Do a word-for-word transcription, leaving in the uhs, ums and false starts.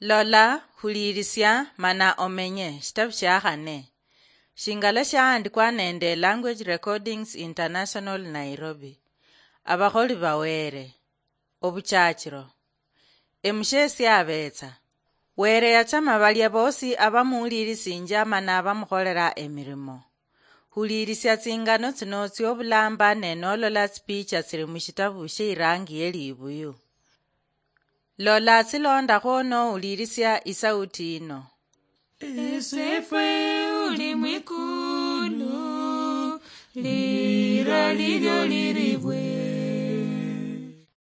Lola, huliirisia, mana omenye. Shitabu shia khane. Shingala shahandikwa nende Language Recordings International, Nairobi. Abakholi ba Were. Obuchachiro. Emusheesi abeetsa. Were yachama balia boosi abamuwulirisinjia mana abamukholera emirimo. Huliirisia tsingano tsino tsiobulamba ne nolola tsipicha tsiri mushitabu shie irangi ye libuyu. Lola tsilondakho nowulirisia isauti yino. Esefwe uli mwikulu, lira lilyo liribwe.